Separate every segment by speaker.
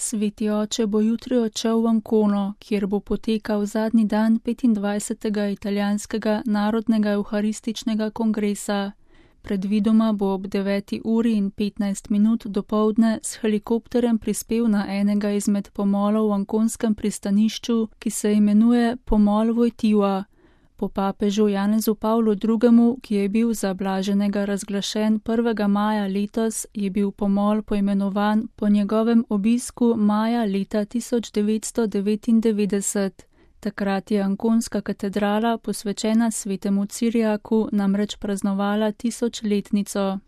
Speaker 1: Sveti oče bo jutri odšel v Ancono, kjer bo potekal zadnji dan 25. italijanskega narodnega evharističnega kongresa. Predvidoma bo ob 9:15 dopoldne s helikopterjem prispel na enega izmed pomolov v anconskem pristanišču, ki se imenuje Pomol Wojtyła. Po papežu Janezu Pavlu II., ki je bil za blaženega razglašen 1. maja letos, je bil pomol poimenovan po njegovem obisku maja leta 1999. Takrat je anconska katedrala, posvečena svetemu Ciriaku, namreč praznovala 1000-letnico.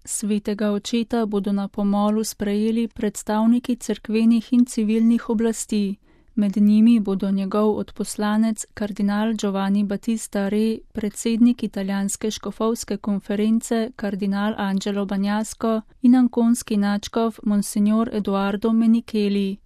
Speaker 1: Svetega očeta bodo na pomolu sprejeli predstavniki cerkvenih in civilnih oblasti. Med njimi bodo njegov odposlanec kardinal Giovanni Battista Re, predsednik italijanske škofovske konference kardinal Angelo Bagnasco in anconski nadškof monsignor Edoardo Menicheli.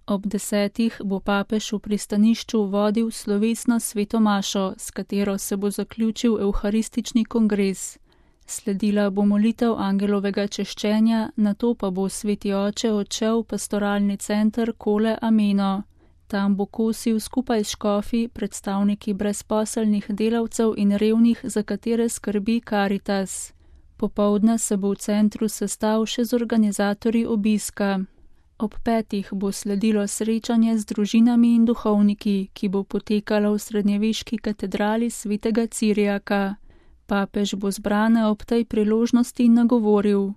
Speaker 1: Ob 10. bo papež v pristanišču vodil slovesno sveto mašo, s katero se bo zaključil evharistični kongres. Sledila bo molitev angelovega češčenja, nato pa bo sveti oče odšel v pastoralni center Colle Ameno. Tam bo kosil skupaj s škofi, predstavniki brezposelnih delavcev in revnih, za katere skrbi Caritas. Popoldne se bo v centru sestal še z organizatorji obiska. Ob 5. bo sledilo srečanje z družinami in duhovniki, ki bo potekalo v srednjeveški katedrali svetega Ciriaka. Papež bo zbrane ob tej priložnosti nagovoril.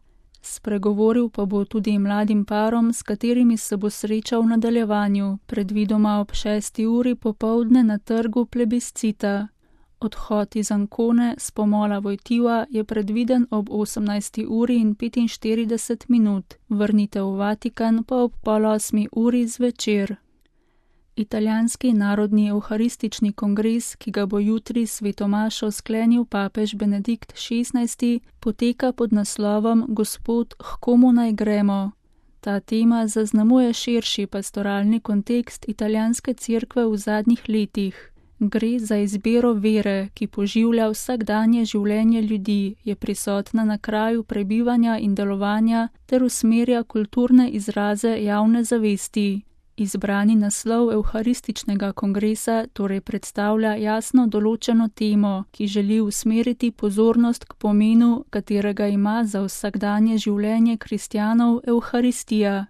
Speaker 1: Spregovoril pa bo tudi mladim parom, s katerimi se bo srečal v nadaljevanju, predvidoma ob 6. uri popoldne na trgu Plebiscita. Odhod iz Ancone s pomola Wojtyła je predviden ob 18:45, vrnitev v Vatikan pa ob 7:30 zvečer. Italijanski narodni evharistični kongres, ki ga bo jutri sveto mašo sklenil papež Benedikt XVI, poteka pod naslovom Gospod, h komu naj gremo. Ta tema zaznamuje širši pastoralni kontekst italijanske cerkve v zadnjih letih. Gre za izbiro vere, ki poživlja vsakdanje življenje ljudi, je prisotna na kraju prebivanja in delovanja ter usmerja kulturne izraze javne zavesti. Izbrani naslov evharističnega kongresa torej predstavlja jasno določeno temo, ki želi usmeriti pozornost k pomenu, katerega ima za vsakdanje življenje kristjanov evharistija.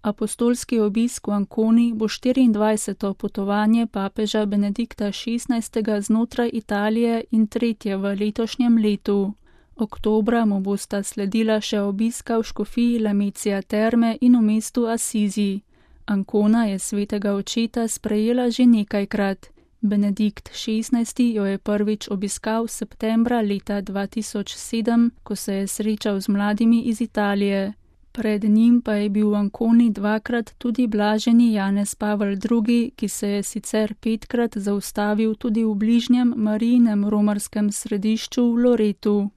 Speaker 1: Apostolski obisk v Anconi bo 24. potovanje papeža Benedikta XVI. Znotraj Italije in 3. v letošnjem letu. Oktobra mu bosta sledila še obiska v škofiji Lamezia Terme in v mestu Assisi. Ancona je svetega očeta sprejela že nekajkrat. Benedikt XVI. Jo je prvič obiskal septembra leta 2007, ko se je srečal z mladimi iz Italije. Pred njim pa je bil v Anconi dvakrat tudi blaženi Janez Pavel II., ki se je sicer 5-krat zaustavil tudi v bližnjem Marijinem romarskem središču v Loretu.